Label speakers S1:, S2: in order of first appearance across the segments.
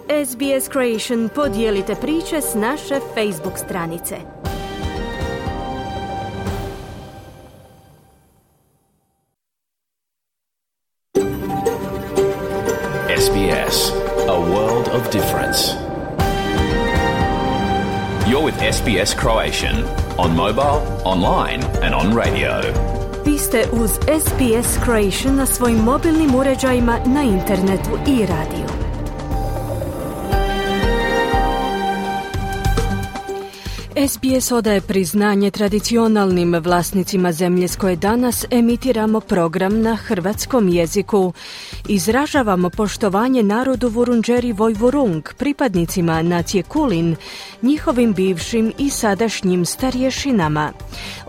S1: SBS Creation podijelite priče s naše Facebook stranice.
S2: SBS, a world of difference. You're with SBS Croatian on mobile, online and on radio.
S1: Vi ste uz SBS Croatian na svojim mobilnim uređajima, na internetu i radiju. SBS odaje priznanje tradicionalnim vlasnicima zemlje s koje danas emitiramo program na hrvatskom jeziku. Izražavamo poštovanje narodu Vurundjeri Vojvurung, pripadnicima nacije Kulin, njihovim bivšim i sadašnjim starješinama.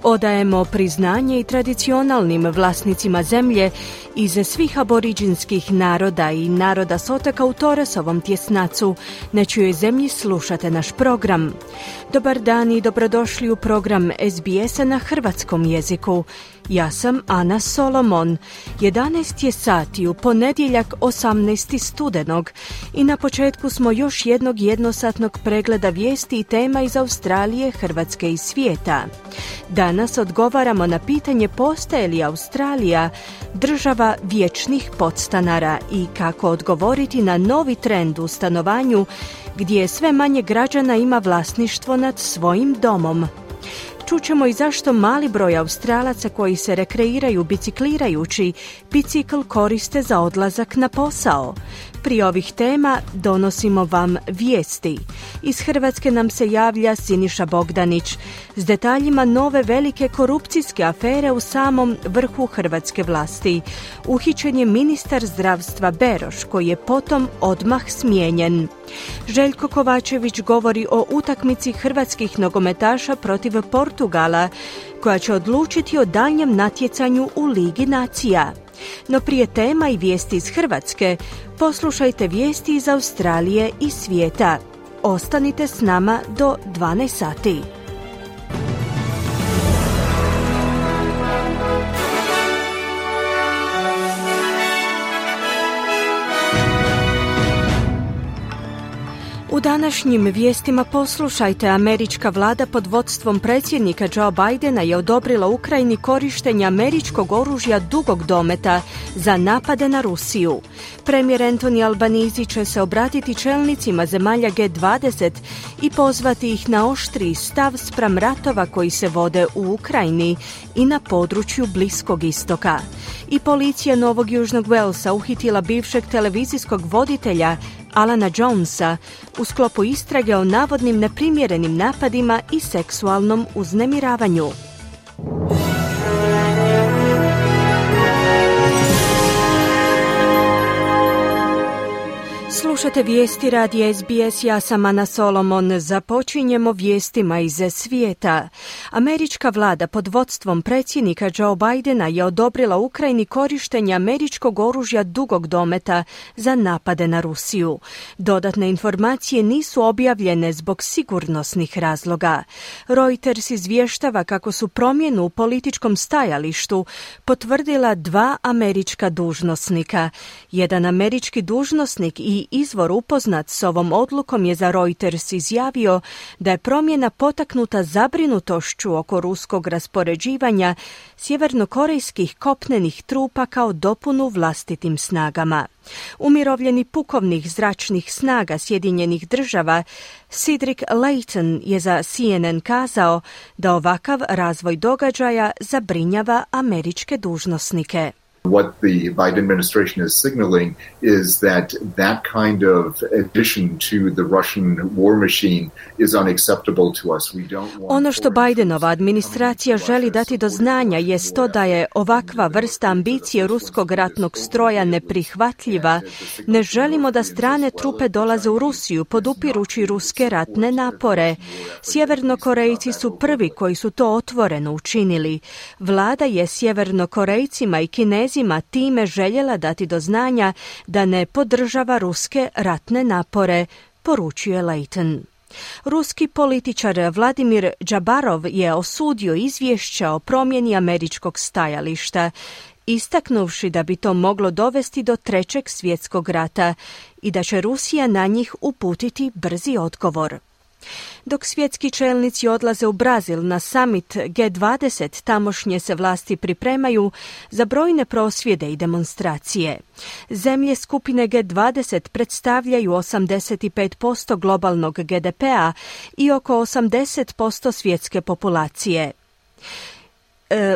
S1: Odajemo priznanje i tradicionalnim vlasnicima zemlje iz svih aboriđinskih naroda i naroda s otoka u Torresovom tjesnacu, na čijoj zemlji slušate naš program. Dobar dan i dobrodošli u program SBS-a na hrvatskom jeziku. Ja sam Ana Solomon. 11 je sati u ponedjeljak 18. studenog i na početku smo još jednog jednosatnog pregleda vijesti i tema iz Australije, Hrvatske i svijeta. Danas odgovaramo na pitanje postaje li Australija država vječnih podstanara i kako odgovoriti na novi trend u stanovanju gdje sve manje građana ima vlasništvo nad svojim domom. Čućemo i zašto mali broj Australaca koji se rekreiraju biciklirajući bicikl koriste za odlazak na posao. Prije ovih tema donosimo vam vijesti. Iz Hrvatske nam se javlja Siniša Bogdanić s detaljima nove velike korupcijske afere u samom vrhu hrvatske vlasti. Uhićen je ministar zdravstva Beroš, koji je potom odmah smijenjen. Željko Kovačević govori o utakmici hrvatskih nogometaša protiv Portugala, koja će odlučiti o daljnjem natjecanju u Ligi nacija. No prije tema i vijesti iz Hrvatske, poslušajte vijesti iz Australije i svijeta. Ostanite s nama do 12 sati. U današnjim vijestima poslušajte, američka vlada pod vodstvom predsjednika Joe Bidena je odobrila Ukrajini korištenje američkog oružja dugog dometa za napade na Rusiju. Premijer Anthony Albanese će se obratiti čelnicima zemalja G20 i pozvati ih na oštriji stav spram ratova koji se vode u Ukrajini i na području Bliskog istoka. I policija Novog Južnog Walesa uhitila bivšeg televizijskog voditelja Alana Jonesa u sklopu istrage o navodnim neprimjerenim napadima i seksualnom uznemiravanju. Slušate vijesti radija SBS, ja sam Ana Solomon. Započinjemo vijestima iz svijeta. Američka vlada pod vodstvom predsjednika Joe Bidena je odobrila Ukrajini korištenje američkog oružja dugog dometa za napade na Rusiju. Dodatne informacije nisu objavljene zbog sigurnosnih razloga. Reuters izvještava kako su promjenu u političkom stajalištu potvrdila dva američka dužnosnika. Jedan američki dužnosnik i izvor upoznat s ovom odlukom je za Reuters izjavio da je promjena potaknuta zabrinutošću oko ruskog raspoređivanja sjevernokorejskih kopnenih trupa kao dopunu vlastitim snagama. Umirovljeni pukovnik zračnih snaga Sjedinjenih država Cedric Layton je za CNN kazao da ovakav razvoj događaja zabrinjava američke dužnosnike.
S3: What the Biden administration is signaling is that kind of addition to the Russian war machine is unacceptable to us.
S1: Ono što Bidenova administracija želi dati do znanja jest to da je ovakva vrsta ambicije ruskog ratnog stroja neprihvatljiva. Ne želimo da strane trupe dolaze u Rusiju podupirući ruske ratne napore. Sjevernokorejci su prvi koji su to otvoreno učinili. Vlada je Sjevernokorejcima i Kinezima time željela dati do znanja da ne podržava ruske ratne napore, poručuje Layton. Ruski političar Vladimir Džabarov je osudio izvješća o promjeni američkog stajališta istaknuvši da bi to moglo dovesti do Trećeg svjetskog rata i da će Rusija na njih uputiti brzi odgovor. Dok svjetski čelnici odlaze u Brazil na summit G20, tamošnje se vlasti pripremaju za brojne prosvjede i demonstracije. Zemlje skupine G20 predstavljaju 85% globalnog GDP-a i oko 80% svjetske populacije.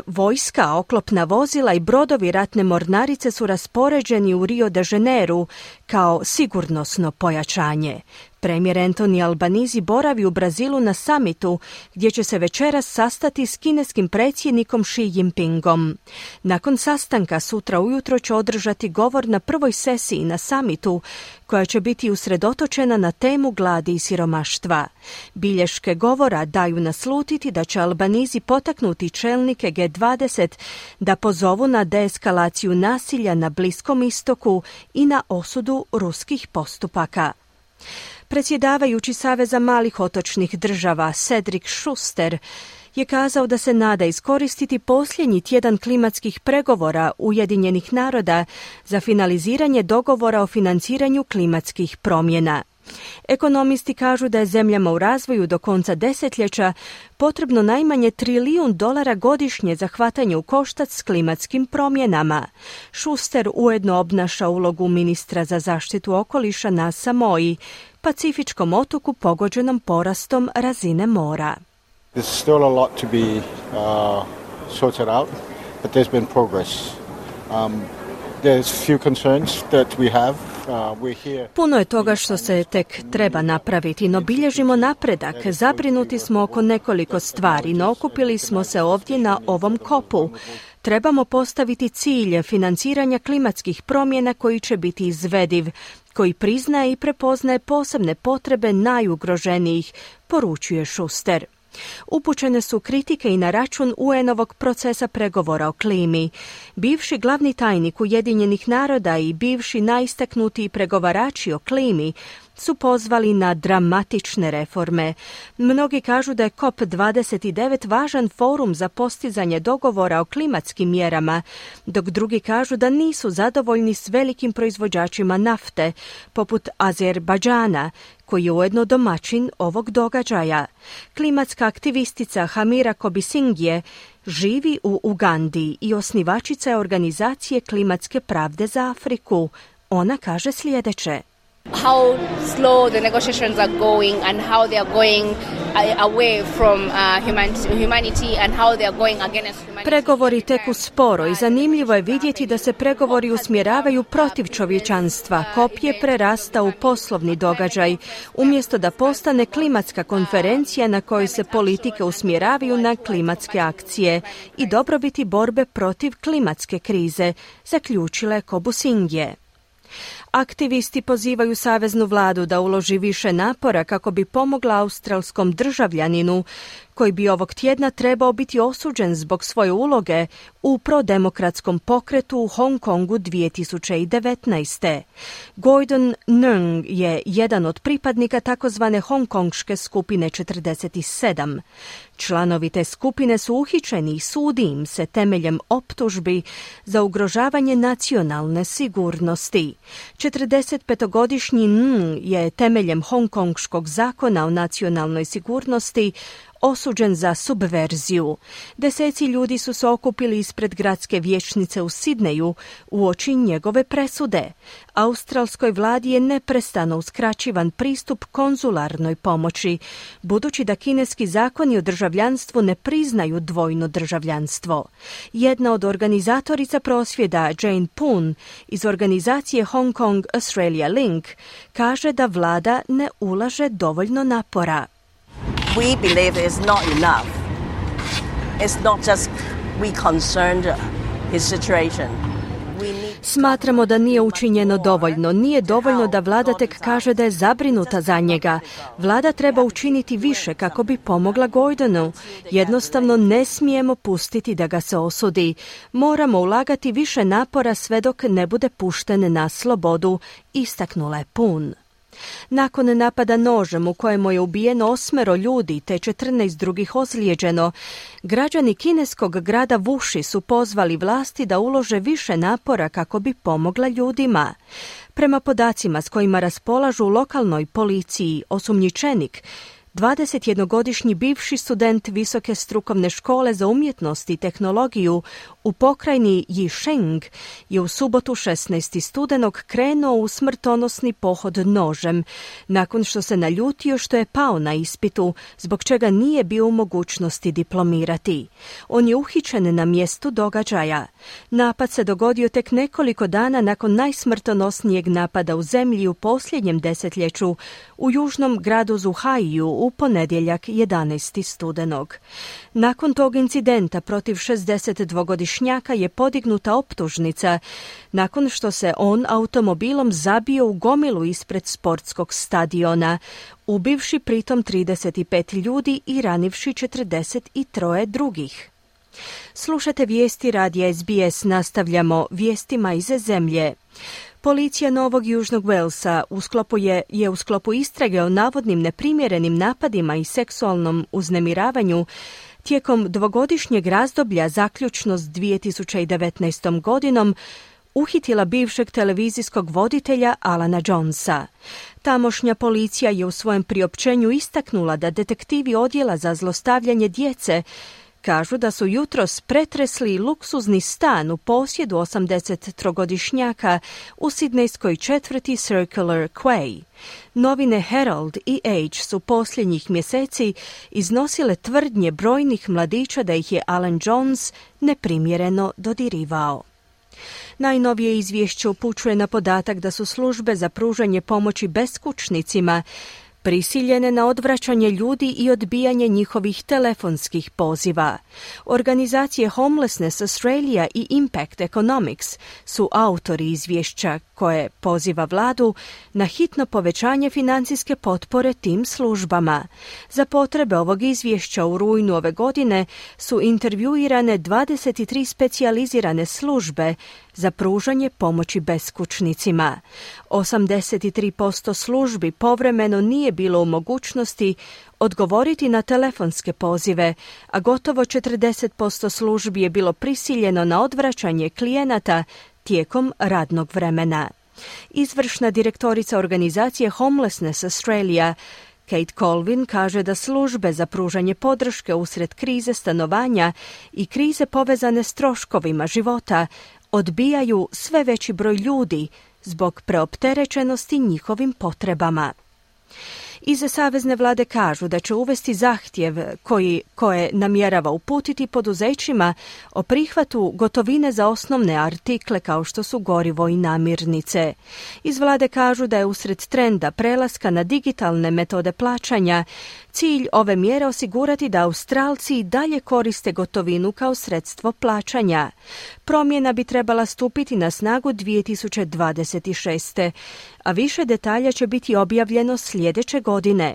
S1: Vojska, oklopna vozila i brodovi ratne mornarice su raspoređeni u Rio de Janeiro kao sigurnosno pojačanje. Premijer Anthony Albanese boravi u Brazilu na samitu gdje će se večeras sastati s kineskim predsjednikom Xi Jinpingom. Nakon sastanka sutra ujutro će održati govor na prvoj sesiji na samitu koja će biti usredotočena na temu gladi i siromaštva. Bilješke govora daju naslutiti da će Albanese potaknuti čelnike G20 da pozovu na deeskalaciju nasilja na Bliskom istoku i na osudu ruskih postupaka. Predsjedavajući Saveza malih otočnih država Cedric Schuster je kazao da se nada iskoristiti posljednji tjedan klimatskih pregovora Ujedinjenih naroda za finaliziranje dogovora o financiranju klimatskih promjena. Ekonomisti kažu da je zemljama u razvoju do konca desetljeća potrebno najmanje $1 trilijun godišnje za hvatanje u koštac s klimatskim promjenama. Schuster ujedno obnaša ulogu ministra za zaštitu okoliša na Samoji, pacifičkom otoku pogođenom porastom razine mora.
S4: There's still a lot to be sorted out, but there's been progress. There's few concerns that we have.
S1: Puno je toga što se tek treba napraviti, no bilježimo napredak. Zabrinuti smo oko nekoliko stvari, no okupili smo se ovdje na ovom kopu. Trebamo postaviti cilj financiranja klimatskih promjena koji će biti izvediv, koji priznaje i prepoznaje posebne potrebe najugroženijih, poručuje Schuster. Upućene su kritike i na račun UN-ovog procesa pregovora o klimi. Bivši glavni tajnik Ujedinjenih naroda i bivši najistaknutiji pregovarači o klimi su pozvali na dramatične reforme. Mnogi kažu da je COP29 važan forum za postizanje dogovora o klimatskim mjerama, dok drugi kažu da nisu zadovoljni s velikim proizvođačima nafte, poput Azerbajdžana, koji je ujedno domaćin ovog događaja. Klimatska aktivistica Hamira Kobisingje živi u Ugandi i osnivačica je organizacije Klimatske pravde za Afriku. Ona kaže sljedeće.
S5: How slow the negotiations are going and how they are going away from humanity and how they are going against humanity.
S1: Pregovori teku sporo i zanimljivo je vidjeti da se pregovori usmjeravaju protiv čovječanstva. COP je prerasta u poslovni događaj, umjesto da postane klimatska konferencija na kojoj se politike usmjeravaju na klimatske akcije i dobrobiti borbe protiv klimatske krize, zaključila je Kobusingje. Aktivisti pozivaju saveznu vladu da uloži više napora kako bi pomogla australskom državljaninu koji bi ovog tjedna trebao biti osuđen zbog svoje uloge u prodemokratskom pokretu u Hong Kongu 2019. Gordon Nung je jedan od pripadnika takozvane hongkonške skupine 47. Članovi te skupine su uhićeni i sudi im se temeljem optužbi za ugrožavanje nacionalne sigurnosti. 45-godišnji Nung je temeljem hongkonškog zakona o nacionalnoj sigurnosti osuđen za subverziju. Deseci ljudi su se okupili ispred gradske vijećnice u Sidneju uoči njegove presude. Australskoj vladi je neprestano uskraćivan pristup konzularnoj pomoći, budući da kineski zakoni o državljanstvu ne priznaju dvojno državljanstvo. Jedna od organizatorica prosvjeda, Jane Poon, iz organizacije Hong Kong Australia Link, kaže da vlada ne ulaže dovoljno napora.
S6: We believe it's not enough. It's not just we concerned his situation.
S1: Smatramo da nije učinjeno dovoljno. Nije dovoljno da vlada tek kaže da je zabrinuta za njega. Vlada treba učiniti više kako bi pomogla Gordonu. Jednostavno ne smijemo pustiti da ga se osudi. Moramo ulagati više napora sve dok ne bude pušten na slobodu, istaknula je Poon. Nakon napada nožem u kojemu je ubijeno 8 ljudi te 14 drugih ozlijeđeno, građani kineskog grada Wuxi su pozvali vlasti da ulože više napora kako bi pomogla ljudima. Prema podacima s kojima raspolažu u lokalnoj policiji, osumnjičenik, 21-godišnji bivši student Visoke strukovne škole za umjetnost i tehnologiju u pokrajini Yisheng je u subotu 16. studenog krenuo u smrtonosni pohod nožem, nakon što se naljutio što je pao na ispitu, zbog čega nije bio u mogućnosti diplomirati. On je uhićen na mjestu događaja. Napad se dogodio tek nekoliko dana nakon najsmrtonosnijeg napada u zemlji u posljednjem desetljeću u južnom gradu Zhuhaiju u ponedjeljak 11. studenog. Nakon tog incidenta protiv 62-godišnjaka je podignuta optužnica nakon što se on automobilom zabio u gomilu ispred sportskog stadiona, ubivši pritom 35 ljudi i ranivši 43 drugih. Slušate vijesti radija SBS, nastavljamo vijestima iz zemlje. Policija Novog Južnog Walesa u sklopu istrage o navodnim neprimjerenim napadima i seksualnom uznemiravanju tijekom dvogodišnjeg razdoblja zaključno s 2019. godinom uhitila bivšeg televizijskog voditelja Alana Jonesa. Tamošnja policija je u svojem priopćenju istaknula da detektivi odjela za zlostavljanje djece kažu da su jutros pretresli luksuzni stan u posjedu 83-godišnjaka u sidnejskoj četvrti Circular Quay. Novine Herald i Age su posljednjih mjeseci iznosile tvrdnje brojnih mladića da ih je Alan Jones neprimjereno dodirivao. Najnovije izvješće upućuje na podatak da su službe za pružanje pomoći beskućnicima prisiljene na odvraćanje ljudi i odbijanje njihovih telefonskih poziva. Organizacije Homelessness Australia i Impact Economics su autori izvješća koje poziva vladu na hitno povećanje financijske potpore tim službama. Za potrebe ovog izvješća u rujnu ove godine su intervjuirane 23 specijalizirane službe za pružanje pomoći beskućnicima. 83% službi povremeno nije bilo u mogućnosti odgovoriti na telefonske pozive, a gotovo 40% službi je bilo prisiljeno na odvraćanje klijenata tijekom radnog vremena. Izvršna direktorica organizacije Homelessness Australia Kate Colvin kaže da službe za pružanje podrške usred krize stanovanja i krize povezane s troškovima života odbijaju sve veći broj ljudi zbog preopterećenosti njihovim potrebama. Iz savezne vlade kažu da će uvesti zahtjev koje namjerava uputiti poduzećima o prihvatu gotovine za osnovne artikle kao što su gorivo i namirnice. Iz vlade kažu da je usred trenda prelaska na digitalne metode plaćanja cilj ove mjere osigurati da Australci dalje koriste gotovinu kao sredstvo plaćanja. Promjena bi trebala stupiti na snagu 2026. a više detalja će biti objavljeno sljedeće godine.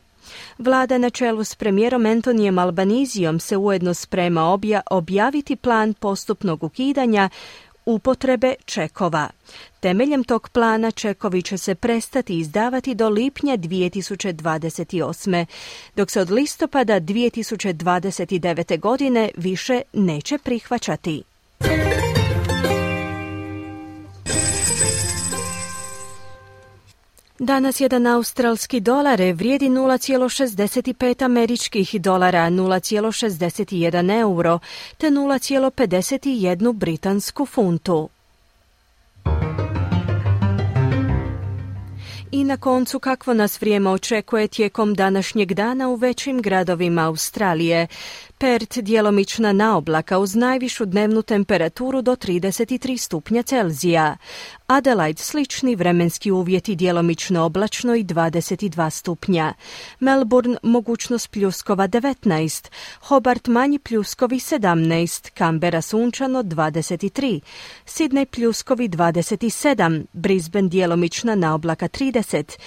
S1: Vlada na čelu s premijerom Antonijem Albanizijom se ujedno sprema objaviti plan postupnog ukidanja upotrebe čekova. Temeljem tog plana čekovi će se prestati izdavati do lipnja 2028. dok se od listopada 2029. godine više neće prihvaćati. Danas jedan australski dolar vrijedi 0,65 američkih dolara, 0,61 euro te 0,51 britansku funtu. I na koncu kakvo nas vrijeme očekuje tijekom današnjeg dana u većim gradovima Australije. Perth djelomična naoblaka uz najvišu dnevnu temperaturu do 33 stupnja Celzija. Adelaide slični vremenski uvjeti djelomično oblačno i 22 stupnja. Melbourne mogućnost pljuskova 19, Hobart manji pljuskovi 17, Canberra sunčano 23, Sydney pljuskovi 27, Brisbane djelomična naoblaka 30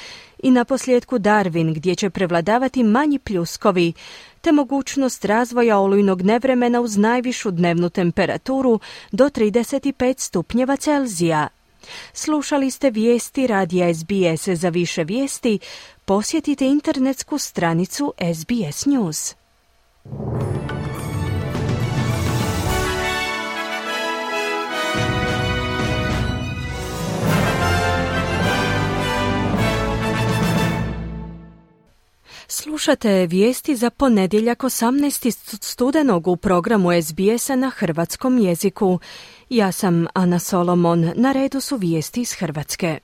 S1: i naposljetku Darwin gdje će prevladavati manji pljuskovi te mogućnost razvoja olujnog nevremena uz najvišu dnevnu temperaturu do 35 stupnjeva Celzija. Slušali ste vijesti radija SBS. Za više vijesti posjetite internetsku stranicu SBS News. Slušate vijesti za ponedjeljak 18. studenog u programu SBS-a na hrvatskom jeziku. Ja sam Ana Solomon, na redu su vijesti iz Hrvatske.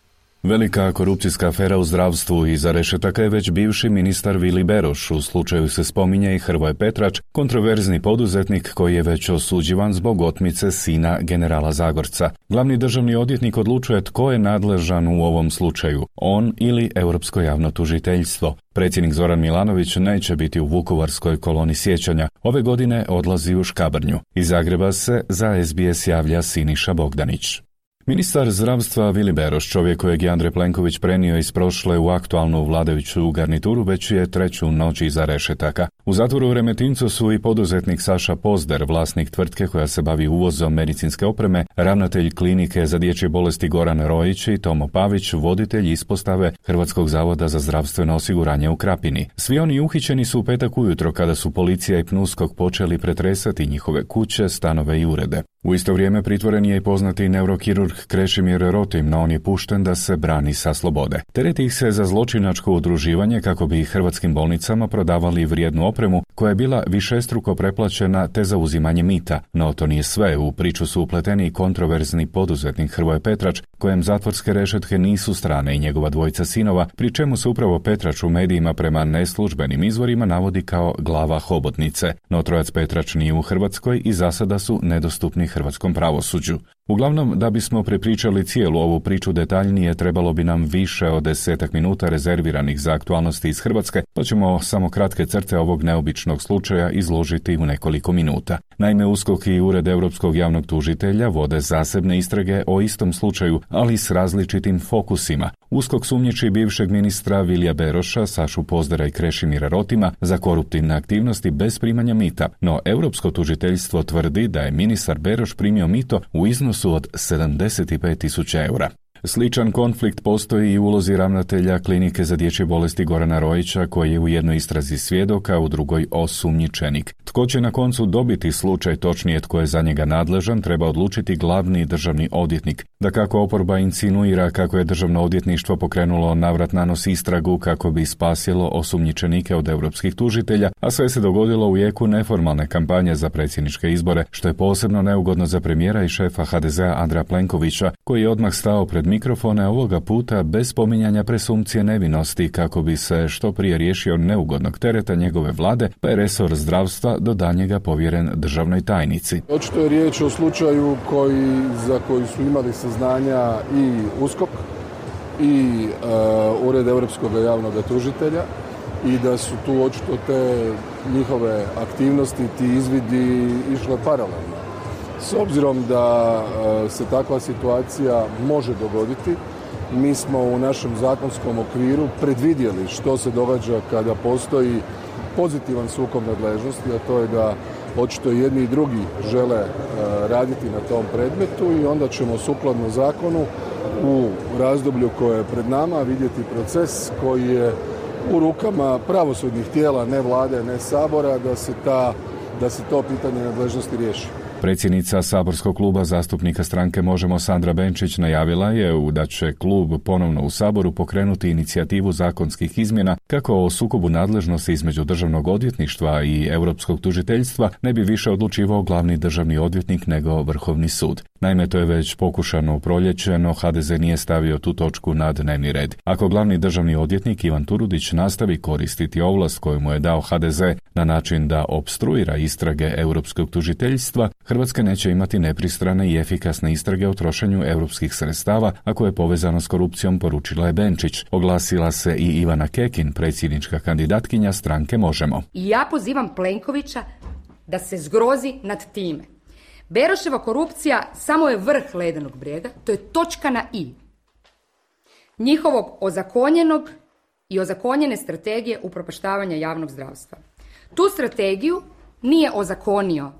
S7: Velika korupcijska afera u zdravstvu. Iza rešetaka je već bivši ministar Vili Beroš. U slučaju se spominje i Hrvoje Petrač, kontroverzni poduzetnik koji je već osuđivan zbog otmice sina generala Zagorca. Glavni državni odvjetnik odlučuje tko je nadležan u ovom slučaju, on ili Europsko javno tužiteljstvo. Predsjednik Zoran Milanović neće biti u Vukovarskoj koloni sjećanja. Ove godine odlazi u Škabrnju. Iz Zagreba se za SBS javlja Siniša Bogdanić. Ministar zdravstva Vili Beroš, čovjek kojeg je Andrej Plenković prenio iz prošle u aktualnu vladajuću garnituru, već je treću noć iza rešetaka. U zatvoru u Remetincu su i poduzetnik Saša Pozder, vlasnik tvrtke koja se bavi uvozom medicinske opreme, ravnatelj klinike za dječje bolesti Goran Rojić i Tomo Pavić, voditelj ispostave Hrvatskog zavoda za zdravstveno osiguranje u Krapini. Svi oni uhićeni su u petak ujutro kada su policija i PNUSKOK počeli pretresati njihove kuće, stanove i urede. U isto vrijeme pritvoren je i poznati neurokirurg Krešimir Rotim, no on je pušten da se brani sa slobode. Tereti ih se za zločinačko udruživanje kako bi hrvatskim bolnicama prodavali vrijednu opremu koja je bila višestruko preplaćena te za uzimanje mita. No to nije sve, u priču su upleteni i kontroverzni poduzetnik Hrvoje Petrač, kojem zatvorske rešetke nisu strane, i njegova dvojica sinova, pri čemu se upravo Petrač u medijima prema neslužbenim izvorima navodi kao glava hobotnice. No trojac Petrač nije u Hrvatskoj i za sada su nedostupni hrvatskom pravosuđu. Uglavnom, da bismo prepričali cijelu ovu priču detaljnije, trebalo bi nam više od 10 minuta rezerviranih za aktualnosti iz Hrvatske, pa ćemo samo kratke crte ovog neobičnog slučaja izložiti u nekoliko minuta. Naime, USKOK i Ured Europskog javnog tužitelja vode zasebne istrage o istom slučaju, ali s različitim fokusima. USKOK sumnjiči bivšeg ministra Vilija Beroša, Sašu Pozdera i Krešimira Rotima za koruptivne aktivnosti bez primanja mita, no Europsko tužiteljstvo tvrdi da je ministar Beroš primio mito u iznosu od 75.000 eura. Sličan konflikt postoji i u ulozi ravnatelja klinike za dječje bolesti Gorana Rojića, koji je u jednoj istrazi svjedok, a u drugoj osumnjičenik. Tko će na koncu dobiti slučaj, točnije tko je za njega nadležan, treba odlučiti glavni državni odvjetnik. Dakako, oporba insinuira kako je državno odvjetništvo pokrenulo navrat nanos istragu kako bi spasilo osumnjičenike od europskih tužitelja, a sve se dogodilo u jeku neformalne kampanje za predsjedničke izbore, što je posebno neugodno za premijera i šefa HDZ-a Andreja Plenkovića, koji je odmah stao pred mikrofone, ovoga puta bez spominjanja presumpcije nevinosti, kako bi se što prije riješio neugodnog tereta njegove vlade, pa je resor zdravstva do danjega povjeren državnoj tajnici.
S8: Očito je riječ o slučaju za koji su imali saznanja i USKOK i Ured Europskog javnog tužitelja i da su tu očito te njihove aktivnosti, ti izvidi išle paralelno. S obzirom da se takva situacija može dogoditi, mi smo u našem zakonskom okviru predvidjeli što se događa kada postoji pozitivan sukob nadležnosti, a to je da očito jedni i drugi žele raditi na tom predmetu i onda ćemo sukladno zakonu u razdoblju koje je pred nama vidjeti proces koji je u rukama pravosudnih tijela, ne vlade, ne sabora, da se to pitanje nadležnosti riješi.
S7: Predsjednica saborskog kluba zastupnika stranke Možemo Sandra Benčić najavila je da će klub ponovno u Saboru pokrenuti inicijativu zakonskih izmjena kako o sukobu nadležnosti između državnog odvjetništva i europskog tužiteljstva ne bi više odlučivao glavni državni odvjetnik nego Vrhovni sud. Naime, to je već pokušano u proljeće, no HDZ nije stavio tu točku na dnevni red. Ako glavni državni odvjetnik Ivan Turudić nastavi koristiti ovlast koju mu je dao HDZ na način da opstruira istrage europskog tužiteljstva, Hrvatska neće imati nepristrane i efikasne istrage o trošenju europskih sredstava, a koje je povezano s korupcijom, poručila je Benčić. Oglasila se i Ivana Kekin, predsjednička kandidatkinja stranke Možemo.
S9: I ja pozivam Plenkovića da se zgrozi nad time. Beroševa korupcija samo je vrh ledenog brijega, to je točka na i njihovog ozakonjenog i ozakonjene strategije upropaštavanja javnog zdravstva. Tu strategiju nije ozakonio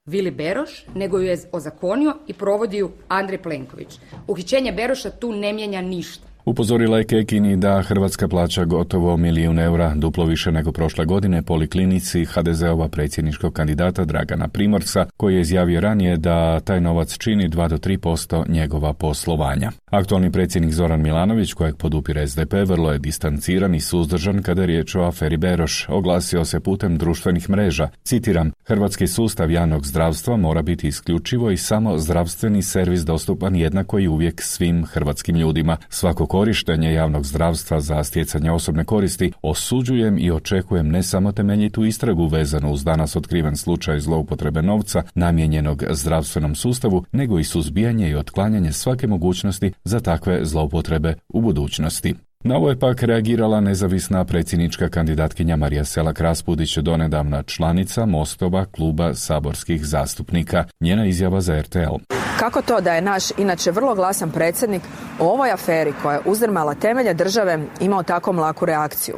S9: Vili Beroš, nego ju je ozakonio i provodi ju Andrej Plenković. Uhićenje Beroša tu ne mijenja ništa.
S7: Upozorila je Kekini da Hrvatska plaća gotovo 1 milijun eura, duplo više nego prošle godine, poliklinici HDZ-ova predsjedničkog kandidata Dragana Primorca, koji je izjavio ranije da taj novac čini 2 do 3% njegova poslovanja. Aktualni predsjednik Zoran Milanović, kojeg podupire SDP, vrlo je distanciran i suzdržan kada je riječ o aferi Beroš. Oglasio se putem društvenih mreža. Citiram, hrvatski sustav javnog zdravstva mora biti isključivo i samo zdravstveni servis dostupan jednako i uvijek svim hrvatskim ljudima. Svako korištenje javnog zdravstva za stjecanje osobne koristi osuđujem i očekujem ne samo temeljitu istragu vezanu uz danas otkriven slučaj zloupotrebe novca namijenjenog zdravstvenom sustavu, nego i suzbijanje i otklanjanje svake mogućnosti za takve zloupotrebe u budućnosti. Na ovo je pak reagirala nezavisna predsjednička kandidatkinja Marija Selak-Raspudić, donedavna članica Mostova kluba saborskih zastupnika. Njena izjava za RTL.
S10: Kako to da je naš, inače vrlo glasan predsjednik, o ovoj aferi koja je uzdrmala temelje države imao tako mlaku reakciju?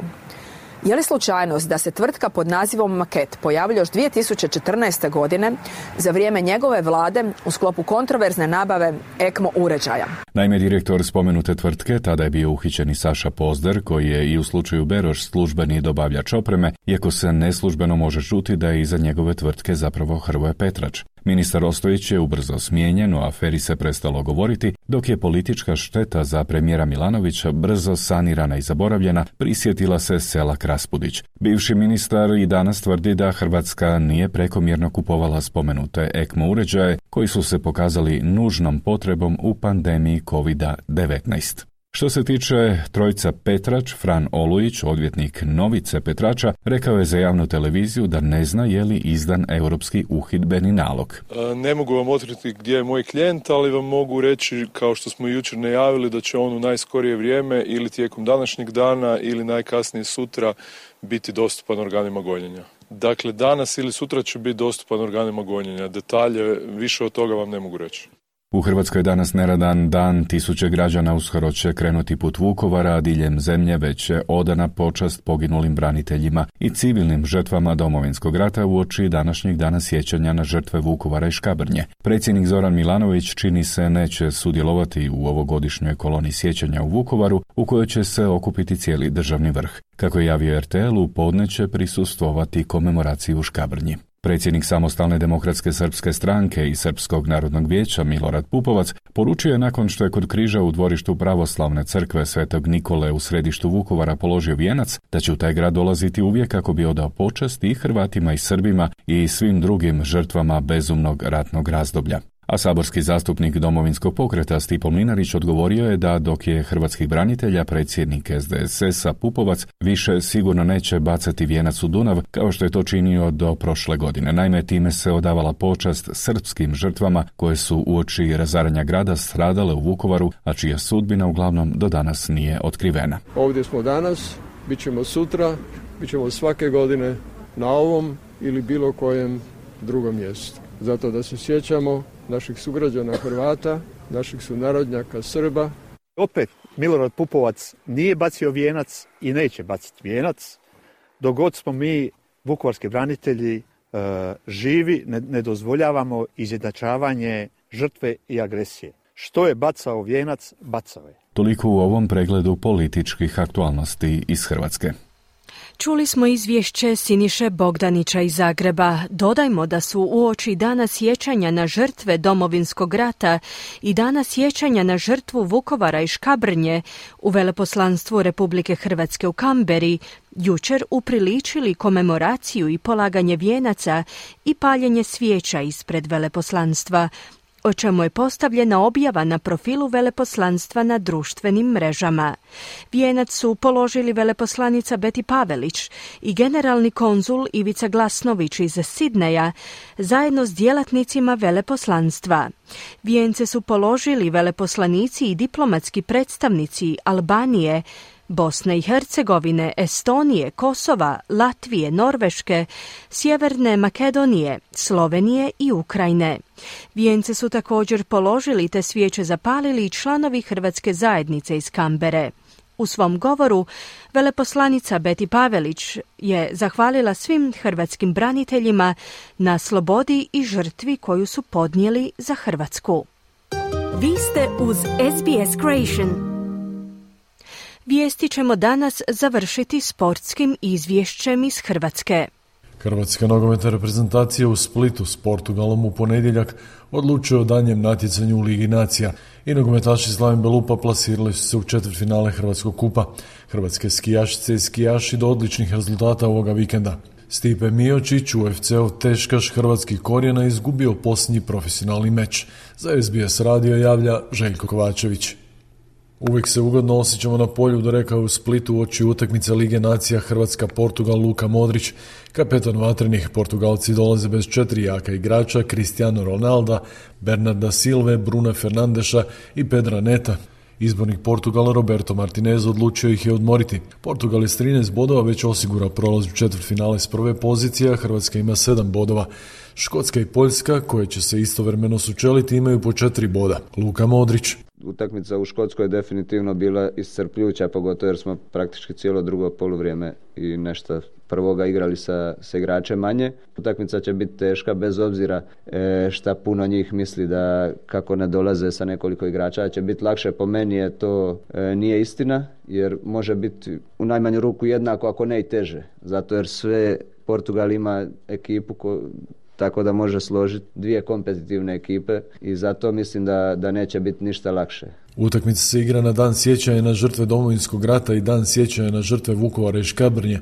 S10: Je li slučajnost da se tvrtka pod nazivom Maket pojavila još 2014. godine za vrijeme njegove vlade u sklopu kontroverzne nabave ECMO uređaja?
S7: Naime, direktor spomenute tvrtke tada je bio uhićeni Saša Pozder, koji je i u slučaju Beroš službeni dobavljač opreme, iako se neslužbeno može čuti da je iza njegove tvrtke zapravo Hrvoje Petrač. Ministar Ostojić je ubrzo smijenjen, o aferi se prestalo govoriti, dok je politička šteta za premijera Milanovića brzo sanirana i zaboravljena, prisjetila se Selak-Raspudić. Bivši ministar i danas tvrdi da Hrvatska nije prekomjerno kupovala spomenute ECMO uređaje, koji su se pokazali nužnom potrebom u pandemiji COVID-19. Što se tiče trojca Petrač, Fran Olujić, odvjetnik Novice Petrača, rekao je za javnu televiziju da ne zna je li izdan europski uhidbeni nalog.
S11: Ne mogu vam otkriti gdje je moj klijent, ali vam mogu reći, kao što smo jučer najavili, da će on u najskorije vrijeme ili tijekom današnjeg dana ili najkasnije sutra biti dostupan organima gonjenja. Dakle, danas ili sutra će biti dostupan organima gonjenja. Detalje, više od toga vam ne mogu reći.
S7: U Hrvatskoj je danas neradan dan, tisuće građana uskoro će krenuti put Vukovara, a diljem zemlje već je odana počast poginulim braniteljima i civilnim žrtvama Domovinskog rata uoči današnjeg dana sjećanja na žrtve Vukovara i Škabrnje. Predsjednik Zoran Milanović čini se neće sudjelovati u ovogodišnjoj koloni sjećanja u Vukovaru, u kojoj će se okupiti cijeli državni vrh. Kako je javio RTL, u podne će prisustvovati komemoraciji u Škabrnji. Predsjednik Samostalne demokratske srpske stranke i Srpskog narodnog vijeća Milorad Pupovac poručio je nakon što je kod križa u dvorištu pravoslavne crkve Svetog Nikole u središtu Vukovara položio vijenac, da će u taj grad dolaziti uvijek kako bi odao počast i Hrvatima i Srbima i svim drugim žrtvama bezumnog ratnog razdoblja. A saborski zastupnik Domovinskog pokreta Stipo Mlinarić odgovorio je da dok je hrvatskih branitelja predsjednik SDSS-a Pupovac više sigurno neće bacati vijenac u Dunav kao što je to činio do prošle godine. Naime, time se odavala počast srpskim žrtvama koje su uoči razaranja grada stradale u Vukovaru, a čija sudbina uglavnom do danas nije otkrivena.
S12: Ovdje smo danas, bit ćemo sutra, bit ćemo svake godine na ovom ili bilo kojem drugom mjestu. Zato da se sjećamo naših sugrađana Hrvata, naših sunarodnjaka Srba.
S13: Opet, Milorad Pupovac nije bacio vijenac i neće baciti vijenac. Dok god smo mi, vukovarski branitelji, živi, ne dozvoljavamo izjednačavanje žrtve i agresije. Što je bacao vijenac, bacao je.
S7: Toliko u ovom pregledu političkih aktualnosti iz Hrvatske.
S1: Čuli smo izvješće Siniše Bogdanića iz Zagreba. Dodajmo da su uoči dana sjećanja na žrtve Domovinskog rata i dana sjećanja na žrtvu Vukovara i Škabrnje u Veleposlanstvu Republike Hrvatske u Kamberi jučer upriličili komemoraciju i polaganje vijenaca i paljenje svijeća ispred veleposlanstva, o čemu je postavljena objava na profilu veleposlanstva na društvenim mrežama. Vijenac su položili veleposlanica Beti Pavelić i generalni konzul Ivica Glasnović iz Sidneja zajedno s djelatnicima veleposlanstva. Vijence su položili veleposlanici i diplomatski predstavnici Albanije, Bosne i Hercegovine, Estonije, Kosova, Latvije, Norveške, Sjeverne Makedonije, Slovenije i Ukrajine. Vijence su također položili te svijeće zapalili i članovi Hrvatske zajednice iz Kambere. U svom govoru veleposlanica Beti Pavelić je zahvalila svim hrvatskim braniteljima na slobodi i žrtvi koju su podnijeli za Hrvatsku.
S14: Vi ste uz SBS Creation.
S1: Vijesti ćemo danas završiti sportskim izvješćem iz Hrvatske.
S11: Hrvatska nogometna reprezentacija u Splitu s Portugalom u ponedjeljak odlučuje o danjem natjecanju u Ligi nacija i nogometaši Slaven Belupa plasirali su se u četvrtfinale Hrvatskog kupa. Hrvatske skijašice i skijaši do odličnih rezultata ovoga vikenda. Stipe Miočić, UFC-ov teškaš hrvatskih korijena, izgubio posljednji profesionalni meč. Za SBS radio javlja Željko Kovačević. Uvijek se ugodno osjećamo na polju, dorekao je u Splitu uoči utakmice Lige nacija Hrvatska-Portugal Luka Modrić. Kapetan vatrenih, Portugalci dolaze bez 4 jaka igrača, Cristiano Ronalda, Bernarda Silve, Bruna Fernandeša i Pedra Neta. Izbornik Portugala Roberto Martinez odlučio ih je odmoriti. Portugal je s 13 bodova već osigurao prolaz u četvrtfinale s prve pozicije, a Hrvatska ima 7 bodova. Škotska i Poljska, koje će se istovremeno sučeliti, imaju po 4 boda. Luka Modrić.
S15: Utakmica u Škotskoj je definitivno bila iscrpljujuća, pogotovo jer smo praktički cijelo drugo poluvrijeme i nešto prvoga igrali sa igračem manje. Utakmica će biti teška bez obzira šta puno njih misli da kako ne dolaze sa nekoliko igrača će biti lakše. Po meni je to nije istina, jer može biti u najmanju ruku jednako, ako ne i teže. Zato jer sve Portugal ima ekipu tako da može složiti 2 kompetitivne ekipe i zato mislim da neće biti ništa lakše.
S11: Utakmica se igra na dan sjećanja na žrtve Domovinskog rata i dan sjećanja na žrtve Vukovara i Škabrnje,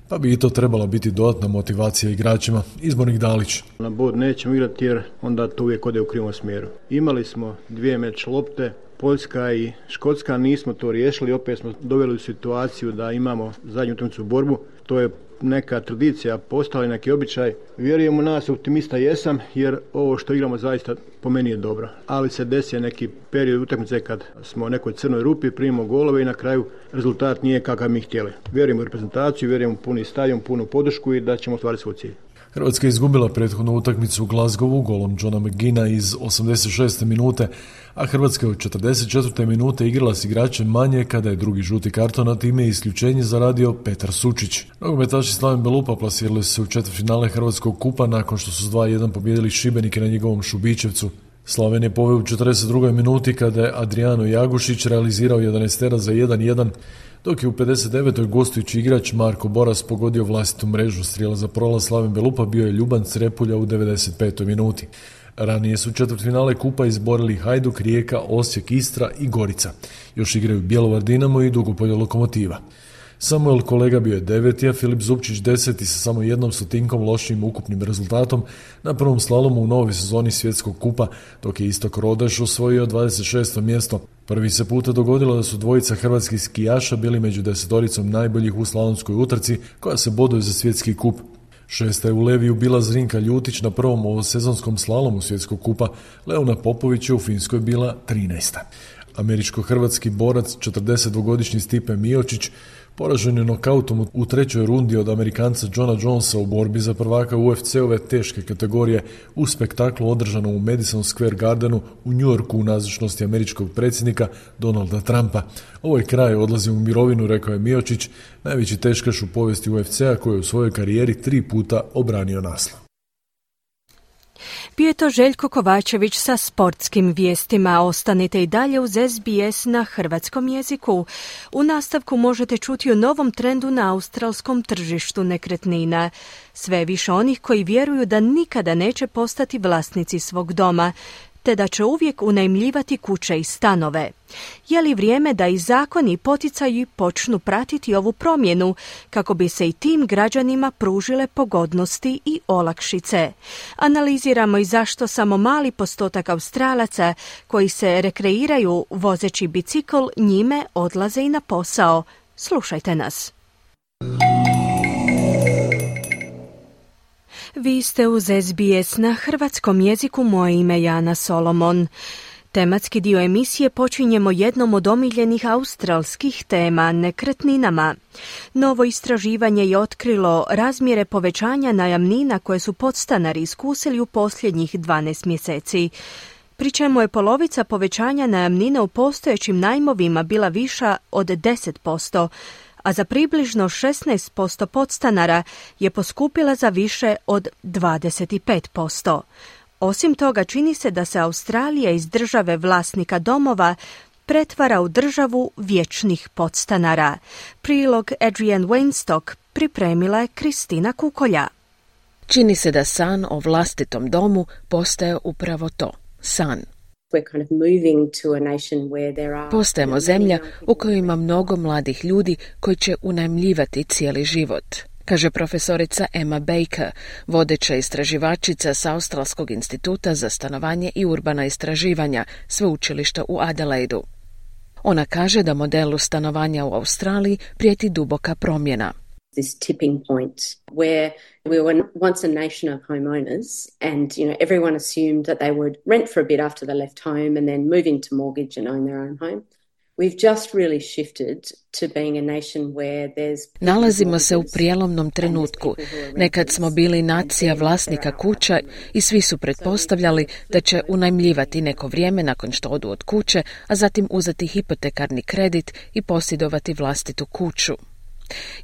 S11: pa bi i to trebala biti dodatna motivacija igračima. Izbornik Dalić.
S16: Na bod nećemo igrati jer onda to uvijek ode u krivom smjeru. Imali smo 2 meč lopte, Poljska i Škotska, nismo to riješili, opet smo doveli u situaciju da imamo zadnju utakmicu borbu. To je neka tradicija, postala neki običaj. Vjerujem u nas, optimista jesam, jer ovo što igramo zaista po meni je dobro. Ali se desi neki period utakmice kad smo u nekoj crnoj rupi, primimo golove i na kraju rezultat nije kakav mi htjeli. Vjerujem u reprezentaciju, vjerujem u puni stadion, punu podršku i da ćemo ostvariti svoj cilj.
S11: Hrvatska je izgubila prethodnu utakmicu u Glasgowu golom Johna McGinna iz 86. minute, a Hrvatska je u 44. minute igrala s igračem manje kada je drugi žuti karton, a time isključenje zaradio Petar Sučić. Nogometaši Slaven Belupa plasirali su se u četvrtfinale Hrvatskog kupa nakon što su s 2:1 pobijedili Šibenike na njegovom Šubićevcu. Slaven je poveo u 42. minuti kada je Adriano Jagušić realizirao 11 za 1:1, dok je u 59. gostujući igrač Marko Boras pogodio vlastitu mrežu. Strijela za prolaz Slaven Belupa bio je Ljuban Crepulja u 95. minuti. Ranije su četvrtfinale kupa izborili Hajduk, Rijeka, Osijek, Istra i Gorica. Još igraju Bjelovar Dinamo i Dugopolje Lokomotiva. Samuel Kolega bio je 9. a Filip Zupčić 10. sa samo 1 lošim ukupnim rezultatom na prvom slalomu u novoj sezoni svjetskog kupa, dok je Istok Rodeš osvojio 26. mjesto. Prvi se puta dogodilo da su dvojica hrvatskih skijaša bili među 10 najboljih u slalomskoj utrci koja se boduje za svjetski kup. 6. je u Leviju bila Zrinka Ljutić na prvom ovosezonskom slalomu svjetskog kupa. Leona Popović je u Finskoj bila 13. Američko-hrvatski borac 42-godišnji Stipe Miočić poražen je nokautom u trećoj rundi od Amerikanca Johna Jonesa u borbi za prvaka UFC-ove teške kategorije u spektaklu održanom u Madison Square Gardenu u New Yorku u nazočnosti američkog predsjednika Donalda Trumpa. Ovo je kraj, odlazim u mirovinu, rekao je Miočić, najveći teškaš u povijesti UFC-a koji je u svojoj karijeri 3 puta obranio naslov.
S1: Bio je to Željko Kovačević sa sportskim vijestima. Ostanite i dalje uz SBS na hrvatskom jeziku. U nastavku možete čuti o novom trendu na australskom tržištu nekretnina. Sve više onih koji vjeruju da nikada neće postati vlasnici svog doma, te da će uvijek unajmljivati kuće i stanove. Je li vrijeme da i zakoni i poticaji počnu pratiti ovu promjenu kako bi se i tim građanima pružile pogodnosti i olakšice? Analiziramo i zašto samo mali postotak Australaca koji se rekreiraju vozeći bicikl njime odlaze i na posao. Slušajte nas. Vi ste uz SBS na hrvatskom jeziku, moje ime je Ana Solomon. Tematski dio emisije počinjemo jednom od omiljenih australskih tema, nekretninama. Novo istraživanje je otkrilo razmjere povećanja najamnina koje su podstanari iskusili u posljednjih 12 mjeseci. pri čemu je polovica povećanja najamnine u postojećim najmovima bila viša od 10%, a za približno 16% podstanara je poskupila za više od 25%. Osim toga, čini se da se Australija iz države vlasnika domova pretvara u državu vječnih podstanara. Prilog Adrienne Weinstock pripremila je Kristina Kukolja.
S17: Čini se da san o vlastitom domu postaje upravo to, san. Postajemo zemlja u kojoj ima mnogo mladih ljudi koji će unajmljivati cijeli život, kaže profesorica Emma Baker, vodeća istraživačica s Australskog instituta za stanovanje i urbana istraživanja, sveučilišta u Adelaidu. Ona kaže da modelu stanovanja u Australiji prijeti duboka promjena.
S18: This tipping point where we were once a nation of homeowners and, everyone assumed that they would rent for a bit after they left home and then move into mortgage and own their own home. We've just really shifted to being a nation where there's...
S17: Nalazimo se u prijelomnom trenutku. Nekad smo bili nacija vlasnika kuća i svi su pretpostavljali da će unajmljivati neko vrijeme nakon što odu od kuće, a zatim uzeti hipotekarni kredit i posjedovati vlastitu kuću.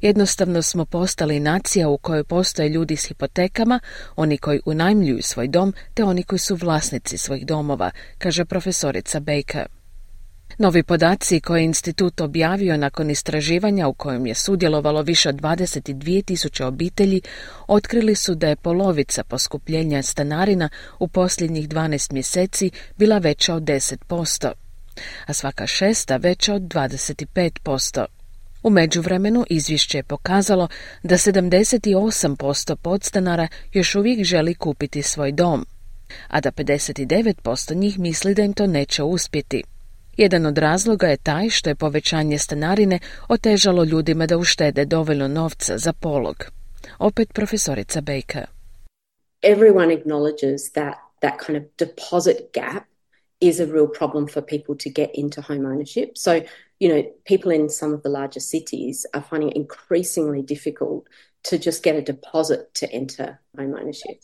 S17: Jednostavno smo postali nacija u kojoj postoje ljudi s hipotekama, oni koji unajmljuju svoj dom, te oni koji su vlasnici svojih domova, kaže profesorica Baker. Novi podaci koje je institut objavio nakon istraživanja u kojem je sudjelovalo više od 22.000 obitelji otkrili su da je polovica poskupljenja stanarina u posljednjih 12 mjeseci bila veća od 10%, a svaka šesta veća od 25%. U međuvremenu izvješće je pokazalo da 78% podstanara još uvijek želi kupiti svoj dom, a da 59% njih misli da im to neće uspjeti. Jedan od razloga je taj što je povećanje stanarine otežalo ljudima da uštede dovoljno novca za polog. Opet profesorica Baker.
S18: Everyone acknowledges that kind of deposit gap is a real problem for people to get into home ownership. So, people in some of the larger cities are finding it increasingly difficult to just get a deposit to enter home ownership.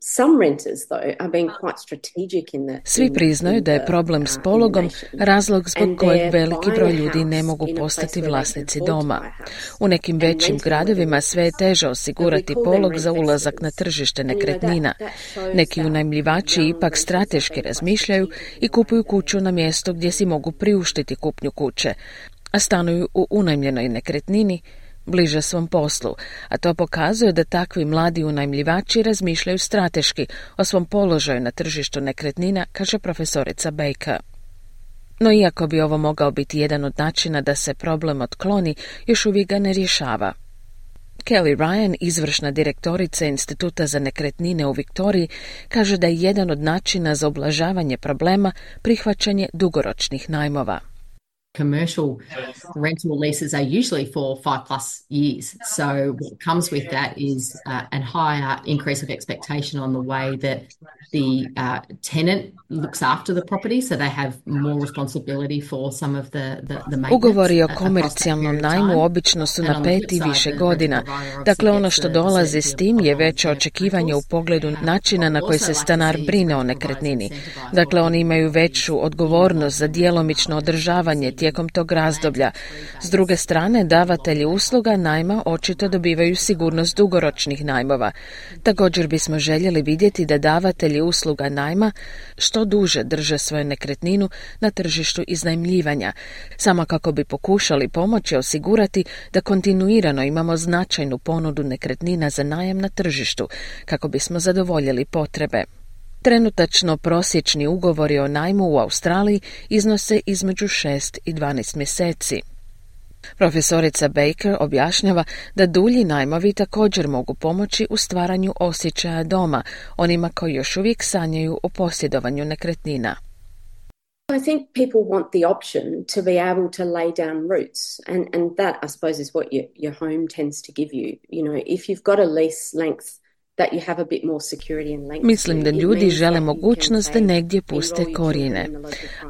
S18: Some renters, though, are being quite strategic in the...
S17: Svi priznaju da je problem s pologom razlog zbog kojeg veliki broj ljudi ne mogu postati vlasnici doma. U nekim većim gradovima sve je teže osigurati polog za ulazak na tržište nekretnina. Neki unajmljivači ipak strateški razmišljaju i kupuju kuću na mjesto gdje si mogu priuštiti kupnju kuće, a stanuju u unajmljenoj nekretnini bliže svom poslu, a to pokazuje da takvi mladi unajmljivači razmišljaju strateški o svom položaju na tržištu nekretnina, kaže profesorica Baker. No iako bi ovo mogao biti jedan od načina da se problem otkloni, još uvijek ga ne rješava. Kelly Ryan, izvršna direktorica Instituta za nekretnine u Viktoriji, kaže da je jedan od načina za ublažavanje problema prihvaćanje dugoročnih najmova.
S19: Commercial rental leases are usually for 5+ years. So what comes with that is a higher increase of expectation on the way that the tenant looks after the property, so they have more responsibility for some of the maintenance.
S17: Ugovori o komercijalnom najmu obično su na 5 i više godina. Dakle, ono što dolazi s tim je veće očekivanje u pogledu načina na koji se stanar brine o nekretnini. Dakle, oni imaju veću odgovornost za djelomično održavanje tijekom tog razdoblja. S druge strane, davatelji usluga najma očito dobivaju sigurnost dugoročnih najmova. Također bismo željeli vidjeti da davatelji usluga najma što duže drže svoju nekretninu na tržištu iznajmljivanja, samo kako bi pokušali pomoći osigurati da kontinuirano imamo značajnu ponudu nekretnina za najam na tržištu, kako bismo zadovoljili potrebe. Trenutačno prosječni ugovori o najmu u Australiji iznose između 6 i 12 mjeseci. Profesorica Baker objašnjava da dulji najmovi također mogu pomoći u stvaranju osjećaja doma onima koji još uvijek sanjaju o posjedovanju nekretnina.
S18: I think people want the option to be able to lay down roots, and that, I suppose, is what your home tends to give you. If you've got a lease length that you have a bit more security and length.
S17: Mislim da ljudi žele mogućnost da negdje puste korijene,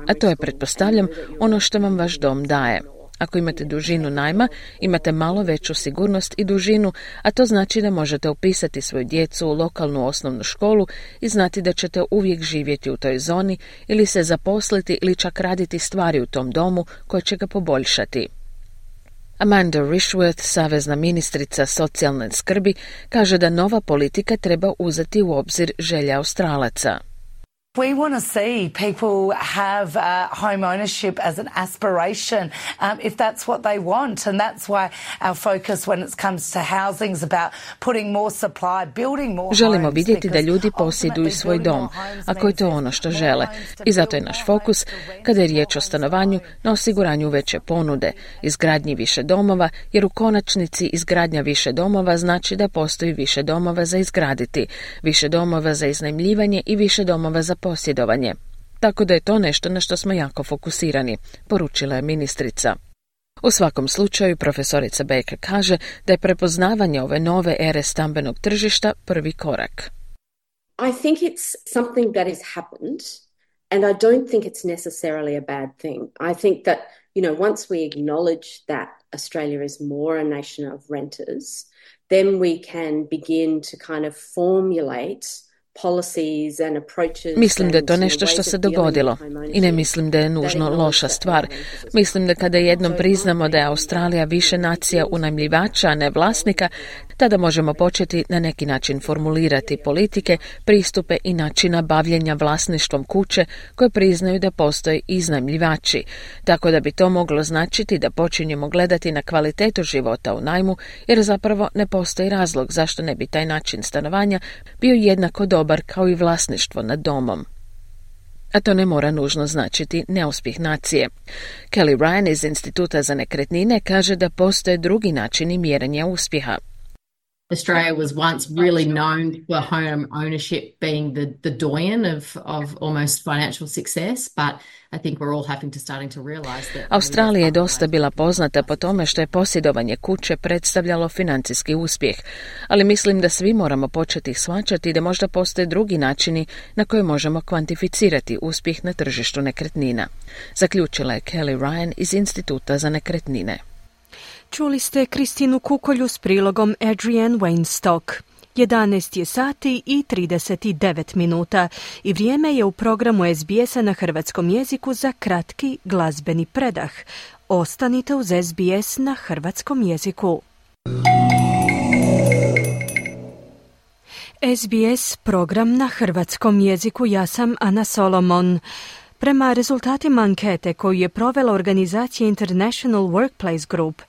S17: a to je, pretpostavljam, ono što vam vaš dom daje. Ako imate dužinu najma, imate malo veću sigurnost i dužinu, a to znači da možete upisati svoju djecu u lokalnu osnovnu školu i znati da ćete uvijek živjeti u toj zoni ili se zaposliti ili čak raditi stvari u tom domu koje će ga poboljšati. Amanda Rishworth, savezna ministrica socijalne skrbi, kaže da nova politika treba uzeti u obzir želje Australaca.
S20: We want to see people have home ownership as an aspiration, if that's what they want, and that's why our focus when it comes to housing is about putting more supply, building more.
S17: Želimo vidjeti da ljudi posjeduju svoj dom, ako je to ono što žele. I zato je naš fokus, kada je riječ o stanovanju, na osiguranju veće ponude, izgradnji više domova, jer u konačnici izgradnja više domova znači da postoji više domova za izgraditi, više domova za iznajmljivanje i više domova za posjedovanje. Tako da je to nešto na što smo jako fokusirani, poručila je ministrica. U svakom slučaju, profesorica Baker kaže da je prepoznavanje ove nove ere stambenog tržišta prvi korak.
S18: I think it's something that has happened and I don't think it's necessarily a bad thing. I think that, once we acknowledge that Australia is more a nation of renters, then we can begin to kind of formulate
S17: Mislim da je to nešto što se dogodilo i ne mislim da je nužno loša stvar. Mislim da kada jednom priznamo da je Australija više nacija unajmljivača, a ne vlasnika, tada možemo početi na neki način formulirati politike, pristupe i načina bavljenja vlasništvom kuće koje priznaju da postoje iznajmljivači. Tako da bi to moglo značiti da počinjemo gledati na kvalitetu života u najmu, jer zapravo ne postoji razlog zašto ne bi taj način stanovanja bio jednako dobar kao i vlasništvo nad domom. A to ne mora nužno značiti neuspjeh nacije. Kelly Ryan iz Instituta za nekretnine kaže da postoje drugi načini mjerenja uspjeha.
S19: Australia was once really known for home ownership being the doyen of almost financial success, but I think we're all having to starting to realize that
S17: Australija je dosta bila poznata po tome što je posjedovanje kuće predstavljalo financijski uspjeh, ali mislim da svi moramo početi shvaćati da možda postoje drugi načini na koje možemo kvantificirati uspjeh na tržištu nekretnina. Zaključila je Kelly Ryan iz Instituta za nekretnine.
S1: Čuli ste Kristinu Kukolju s prilogom Adrienne Weinstock. 11 je sati i 39 minuta i vrijeme je u programu SBS-a na hrvatskom jeziku za kratki glazbeni predah. Ostanite uz SBS na hrvatskom jeziku. SBS program na hrvatskom jeziku, ja sam Ana Solomon. Prema rezultatima ankete koju je provela organizacija International Workplace Group,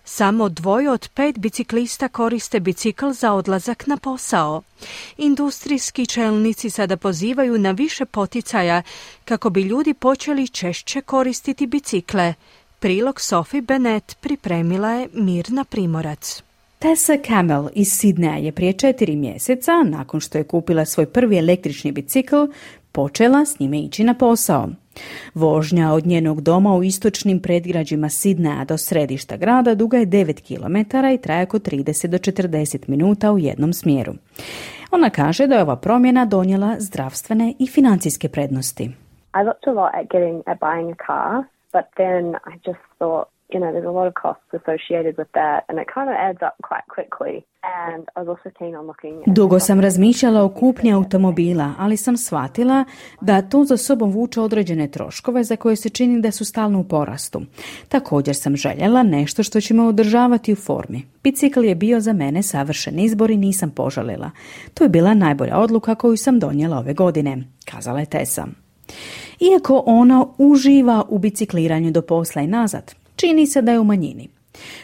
S1: samo 2 od 5 biciklista koriste bicikl za odlazak na posao. Industrijski čelnici sada pozivaju na više poticaja kako bi ljudi počeli češće koristiti bicikle. Prilog Sophie Bennett pripremila je Mirna Primorac.
S21: Tessa Camel iz Sidneja je prije 4 mjeseca, nakon što je kupila svoj prvi električni bicikl, počela s njime ići na posao. Vožnja od njenog doma u istočnim predgrađima Sidneja do središta grada duga je 9 km i traje oko 30 do 40 minuta u jednom smjeru. Ona kaže da je ova promjena donijela zdravstvene i financijske prednosti.
S22: I looked a lot at buying a car, but then I just thought, there's a lot of costs associated with that and it kind of adds up quite quickly. And I was also keen on looking at...
S21: Dugo sam razmišljala o kupnji automobila, ali sam shvatila da to za sobom vuče određene troškove za koje se čini da su stalno u porastu. Također sam željela nešto što će me održavati u formi. Bicikl je bio za mene savršen izbor i nisam požalila. To je bila najbolja odluka koju sam donijela ove godine, kazala je Tessa. Iako ona uživa u bicikliranju do posla i nazad, čini se da je u manjini.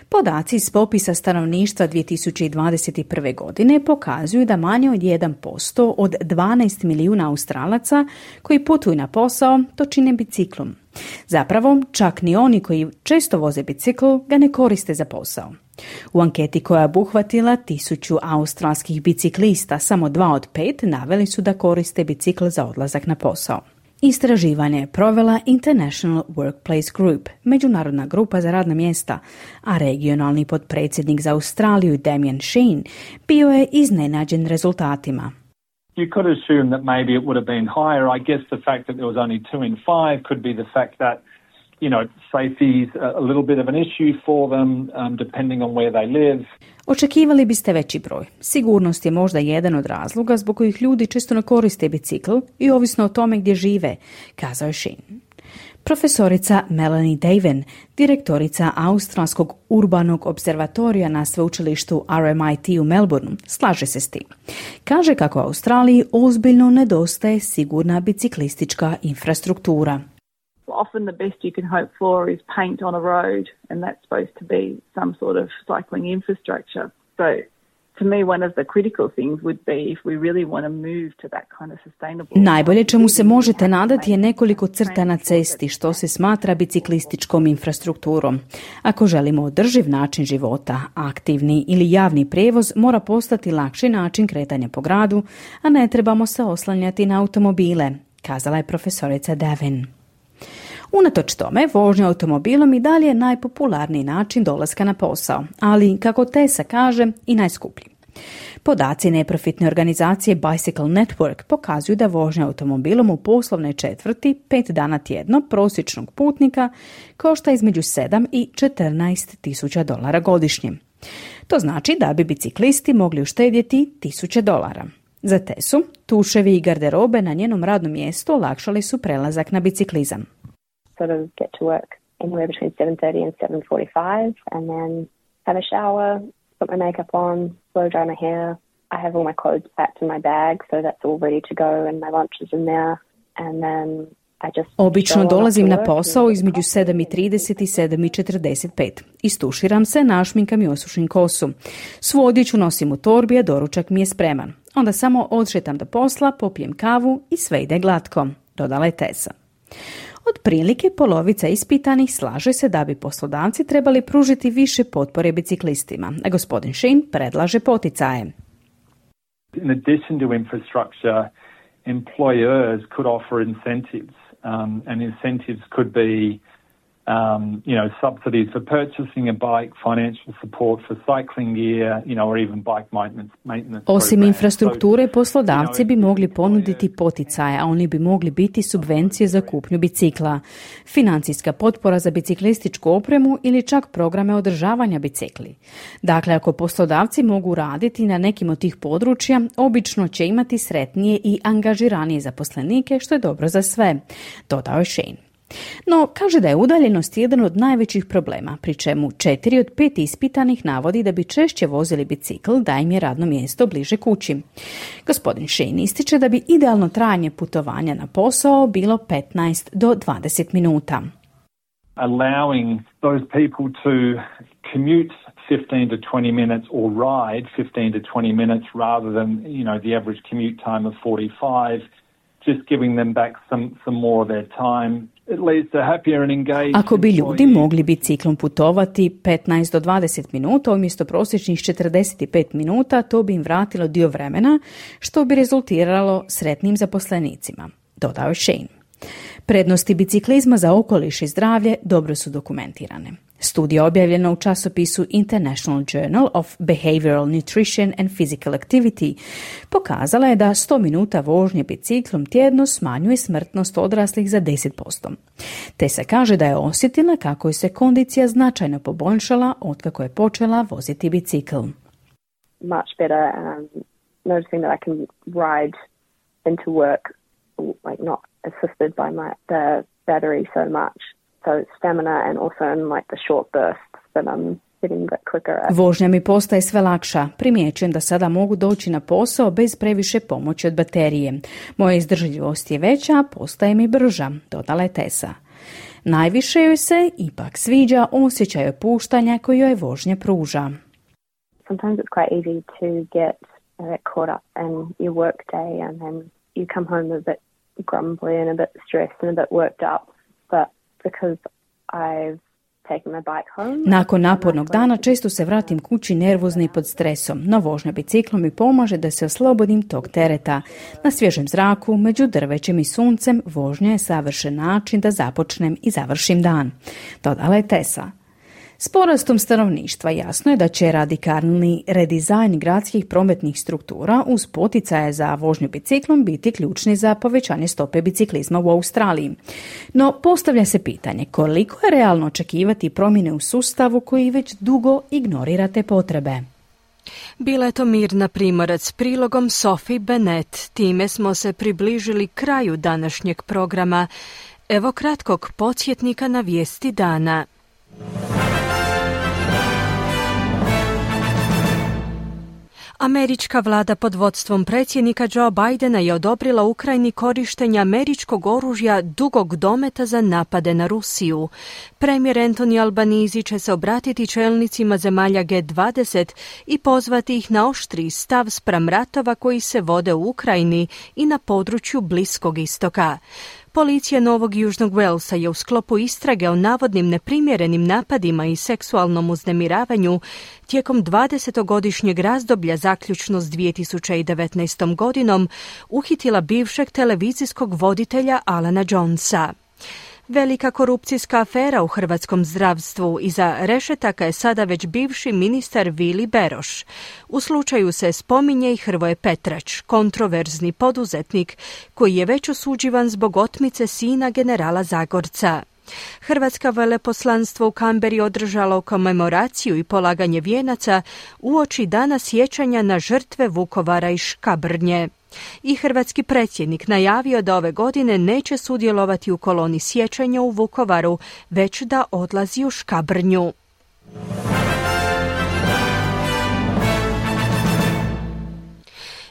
S21: Podaci iz popisa stanovništva 2021. godine pokazuju da manje od 1% od 12 milijuna Australaca koji putuju na posao to čine biciklom. Zapravo, čak ni oni koji često voze bicikl ga ne koriste za posao. U anketi koja je obuhvatila 1000 australskih biciklista, samo 2 od 5 naveli su da koriste bicikl za odlazak na posao. Istraživanje je provela International Workplace Group, međunarodna grupa za radna mjesta, a regionalni potpredsjednik za Australiju Damien Sheen bio je iznenađen rezultatima.
S23: You could assume that maybe it would have been higher. I guess the fact that there was only 2 in 5 could be the fact that
S2: safety is a little bit of an issue for them, depending on where they live.
S21: Očekivali biste veći broj. Sigurnost je možda jedan od razloga zbog kojih ljudi često ne koriste bicikl i ovisno o tome gdje žive, kazao je Sheen. Profesorica Melanie Davin, direktorica Australskog urbanog observatorija na sveučilištu RMIT u Melbourneu, slaže se s tim. Kaže kako Australiji ozbiljno nedostaje sigurna biciklistička infrastruktura.
S3: Often the best you can hope for is paint on a road, and that's supposed to be some sort of cycling infrastructure. So to me, one of the critical things would be if we really want to move to that kind of sustainable...
S21: Najbolje čemu se možete nadati je nekoliko crta na cesti, što se smatra biciklističkom infrastrukturom. Ako želimo održiv način života, aktivni ili javni prijevoz mora postati lakši način kretanja po gradu, a ne trebamo se oslanjati na automobile, kazala je profesorica Davin. Unatoč tome, vožnja automobilom i dalje je najpopularniji način dolaska na posao, ali, kako Tessa kaže, i najskuplji. Podaci neprofitne organizacije Bicycle Network pokazuju da vožnja automobilom u poslovnoj četvrti 5 dana tjedno prosječnog putnika košta između 7 i 14 tisuća dolara godišnje. To znači da bi biciklisti mogli uštedjeti $1,000. Za Tessu, tuševi i garderobe na njenom radnom mjestu olakšali su prelazak na biciklizam.
S22: Sort of get to work anywhere between 7:30 and 7:45, and then have a shower, put my makeup on, blow dry my hair. I have all my clothes packed in my bag, so that's all ready to go, and my lunch is in there. And then I just
S21: Obično dolazim na posao između 7:30 i 7:45. Istuširam se, našminkam i osušim kosu. Svu odjeću nosim u torbi, a doručak mi je spreman. Onda samo odšetam do posla, popijem kavu i sve ide glatko, dodala je Tessa. Otprilike polovica ispitanih slaže se da bi poslodavci trebali pružiti više potpore biciklistima, a gospodin Sheen predlaže poticaje.
S2: In addition to infrastructure, employers could offer incentives, and incentives could be subsidies for purchasing a bike, financial support for cycling gear, or even bike maintenance.
S21: Osim infrastrukture, poslodavci bi mogli ponuditi poticaje, a oni bi mogli biti subvencije za kupnju bicikla, financijska potpora za biciklističku opremu ili čak programe održavanja bicikli. Dakle, ako poslodavci mogu raditi na nekim od tih područja, obično će imati sretnije i angažiranije zaposlenike, što je dobro za sve, dodao je Sheen. No, kaže da je udaljenost jedan od najvećih problema, pri čemu 4 od 5 ispitanih navodi da bi češće vozili bicikl da im je radno mjesto bliže kući. Gospodin Sheen ističe da bi idealno trajanje putovanja na posao bilo 15 do 20 minuta.
S2: Allowing those people to commute 15 to 20 minutes or ride 15 to 20 minutes rather than, the average commute time of 45, just giving them back some more of their time.
S21: Ako bi ljudi mogli biciklom putovati 15 do 20 minuta umjesto prosječnih 45 minuta, to bi im vratilo dio vremena, što bi rezultiralo sretnim zaposlenicima, dodao je Sheen. Prednosti biciklizma za okoliš i zdravlje dobro su dokumentirane. Studija objavljena u časopisu International Journal of Behavioral Nutrition and Physical Activity pokazala je da 100 minuta vožnje biciklom tjedno smanjuje smrtnost odraslih za 10%. Te se kaže da je osjetila kako je se kondicija značajno poboljšala otkako je počela voziti bicikl.
S22: Much better, noticing that I can ride into work, like not assisted by the battery so much. So stamina and also in like the short bursts that I'm getting a bit quicker at.
S21: Vožnja mi postaje sve lakša. Primjećujem da sada mogu doći na posao bez previše pomoći od baterije. Moja izdržljivost je veća, a postaje mi brža, dodala je Tessa. Najviše joj se ipak sviđa osjećaj opuštanja koji joj vožnja pruža.
S22: Sometimes it's quite easy to get caught up in your work day and then you come home a bit grumbly and a bit stressed and a bit worked up, but because I've taken my bike home.
S21: Nakon napornog dana često se vratim kući nervozna i pod stresom, no vožnja biciklom mi pomaže da se oslobodim tog tereta. Na svježem zraku, među drvećem i suncem, vožnja je savršen način da započnem i završim dan, dodala je Tessa. S porastom stanovništva jasno je da će radikalni redizajn gradskih prometnih struktura uz poticaje za vožnju biciklom biti ključni za povećanje stope biciklizma u Australiji. No, postavlja se pitanje koliko je realno očekivati promjene u sustavu koji već dugo ignorira te potrebe.
S1: Bila je to Mirna Primorac s prilogom Sophie Bennett. Time smo se približili kraju današnjeg programa. Evo kratkog podsjetnika na vijesti dana. Američka vlada pod vodstvom predsjednika Joe Bidena je odobrila Ukrajini korištenje američkog oružja dugog dometa za napade na Rusiju. Premijer Anthony Albanese će se obratiti čelnicima zemalja G20 i pozvati ih na oštriji stav spram ratova koji se vode u Ukrajini i na području Bliskog istoka. Policija Novog Južnog Walesa je u sklopu istrage o navodnim neprimjerenim napadima i seksualnom uznemiravanju tijekom 20-godišnjeg razdoblja zaključno s 2019. godinom uhitila bivšeg televizijskog voditelja Alana Jonesa. Velika korupcijska afera u hrvatskom zdravstvu. Iza rešetaka je sada već bivši ministar Vili Beroš. U slučaju se spominje i Hrvoje Petrač, kontroverzni poduzetnik koji je već osuđivan zbog otmice sina generala Zagorca. Hrvatsko veleposlanstvo u Kamberi održalo komemoraciju i polaganje vijenaca uoči dana sjećanja na žrtve Vukovara i Škabrnje. I hrvatski predsjednik najavio da ove godine neće sudjelovati u koloni sjećanja u Vukovaru, već da odlazi u Škabrnju.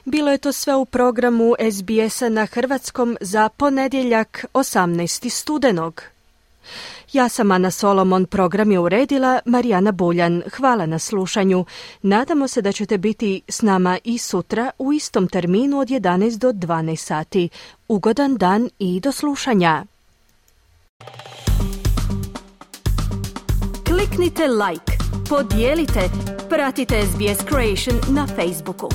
S1: Bilo je to sve u programu SBS-a na hrvatskom za ponedjeljak 18. studenog. Ja sam Ana Solomon, program je uredila Marijana Buljan. Hvala na slušanju. Nadamo se da ćete biti s nama i sutra u istom terminu od 11 do 12 sati. Ugodan dan i do slušanja. Kliknite like, podijelite, pratite SBS Creation na Facebooku.